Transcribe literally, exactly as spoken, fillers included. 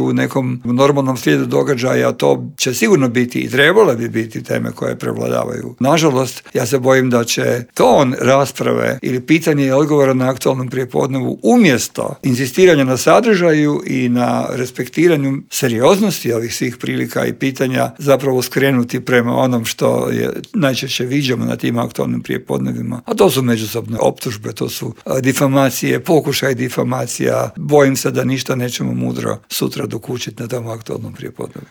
u nekom normalnom slijedu događaja to će sigurno biti i trebale bi biti teme koje prevladavaju. Nažalost, ja se bojim da će ton rasprave ili pitanje i odgovora na aktualnom prijepodnevu umjesto insistiranja na sadržaju i na respektiranju serioznosti ovih svih prilika i pitanja zapravo skrenuti prema onom što je najčešće viđamo na tim aktualnim prijepodnevima. A to su međusobne optužbe, to su difamacije, pokušaj difamacija. Bojim se da ništa nećemo mudro sutra dokučiti na tom aktualnom prijepodnevu.